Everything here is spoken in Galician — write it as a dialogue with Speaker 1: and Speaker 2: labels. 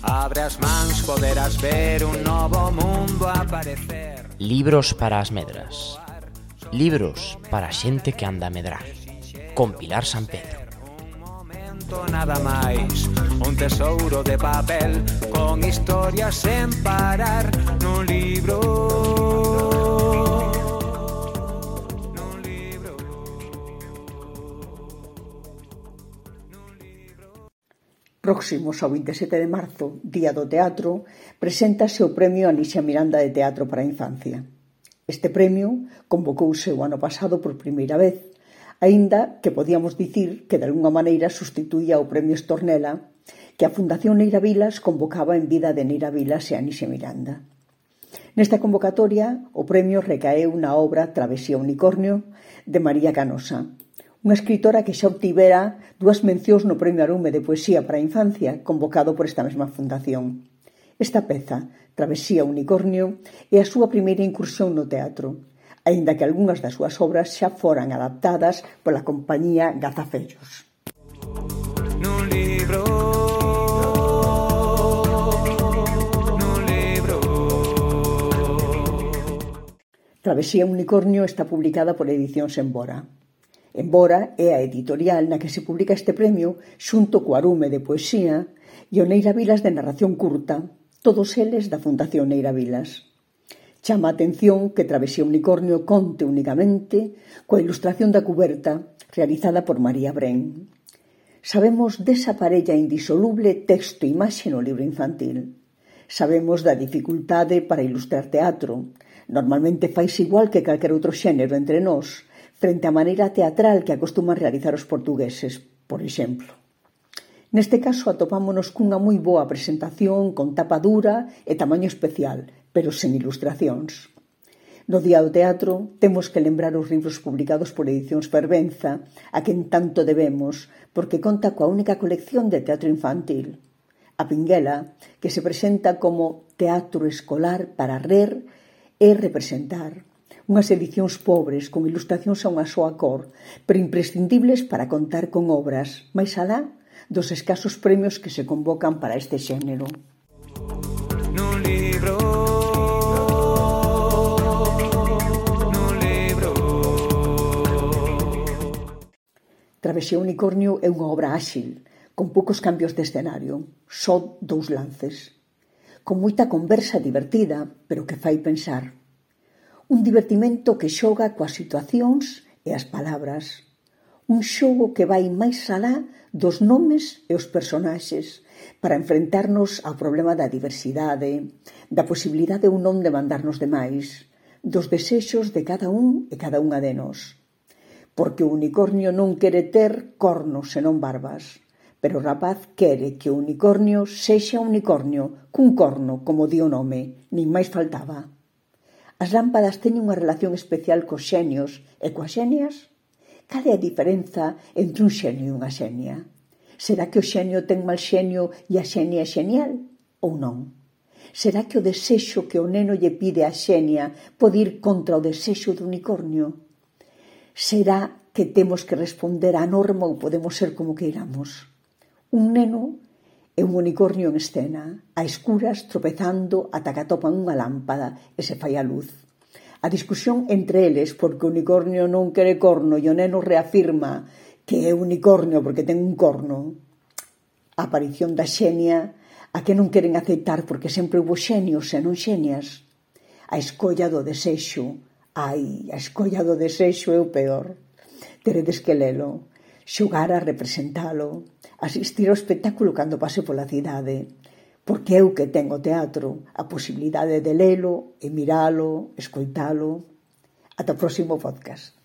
Speaker 1: Abre as mans, poderás ver un novo mundo aparecer.
Speaker 2: Libros para as medras. Libros para a xente que anda a medrar. Con Pilar San Pedro.
Speaker 1: Nada máis, un tesouro de papel con historias sen parar nun libro.
Speaker 3: Próximos ao 27 de marzo, Día do Teatro, preséntase o Premio Alicia Miranda de Teatro para a Infancia. Este premio convocouse o ano pasado por primeira vez, aínda que podíamos dicir que de algunha maneira sustituía o Premio Estornela que a Fundación Neira Vilas convocaba en vida de Neira Vilas e Alicia Miranda. Nesta convocatoria, o premio recaeu na obra Travesía Unicornio de María Canosa, unha escritora que xa obtivera 2 mencións no Premio Arume de Poesía para a Infancia, convocado por esta mesma fundación. Esta peza, Travesía Unicornio, é a súa primeira incursión no teatro, aínda que algunhas das súas obras xa foran adaptadas pola compañía Gazafellos.
Speaker 1: Nun libro.
Speaker 3: Travesía Unicornio está publicada por Edicións Embora. Embora é a editorial na que se publica este premio xunto co Arume de Poesía e o Neira Vilas de Narración Curta, todos eles da Fundación Neira Vilas. Chama a atención que Travesía Unicornio conte únicamente coa ilustración da cuberta realizada por María Bren. Sabemos desa parella indisoluble texto e imaxe no libro infantil. Sabemos da dificultade para ilustrar teatro. Normalmente faise igual que calquer outro xénero entre nós, frente á maneira teatral que acostuman realizar os portugueses, por exemplo. Neste caso atopámonos cunha moi boa presentación con tapa dura e tamaño especial, pero sen ilustracións. No Día do Teatro temos que lembrar os libros publicados por Edicións Fervenza, a quen tanto debemos, porque conta coa única colección de teatro infantil, A Pinguela, que se presenta como teatro escolar para rer e representar. Unhas edicións pobres, con ilustracións a unha soa cor, pero imprescindibles para contar con obras, máis alá dos escasos premios que se convocan para este xénero.
Speaker 1: Nun libro.
Speaker 3: Travesía Unicornio é unha obra áxil, con poucos cambios de escenario, só 2 lances. Con moita conversa divertida, pero que fai pensar. Un divertimento que xoga coas situacións e as palabras. Un xogo que vai máis alá dos nomes e os personaxes para enfrentarnos ao problema da diversidade, da posibilidade ou non de mandarnos de máis, dos desexos de cada un e cada unha de nós. Porque o unicornio non quere ter cornos senón barbas, pero o rapaz quere que o unicornio sexa unicornio, cun corno, como di o nome, nin máis faltaba. As lámpadas teñen unha relación especial cos xenios e coas xenias? Cal é a diferenza entre un xenio e unha xenia? Será que o xenio ten mal xenio e a xenia é xenial? Ou non? Será que o desexo que o neno lle pide á xenia pode ir contra o desexo do unicornio? Será que temos que responder á norma ou podemos ser como queiramos? Un neno é un unicornio en escena, a escuras, tropezando ata que atopan unha lámpada e se fai a luz. A discusión entre eles, porque o unicornio non quere corno e o neno reafirma que é unicornio porque ten un corno. A aparición da xenia, a que non queren aceitar porque sempre houve xenios e non xenias. A escolla do desexo. Ai, a escolla do desexo é o peor. Teredes que lelo, xogar a representalo, asistir ao espectáculo cando pase pola cidade, porque é o que ten o teatro, a posibilidade de lelo e miralo, escoitalo. Ata o próximo podcast.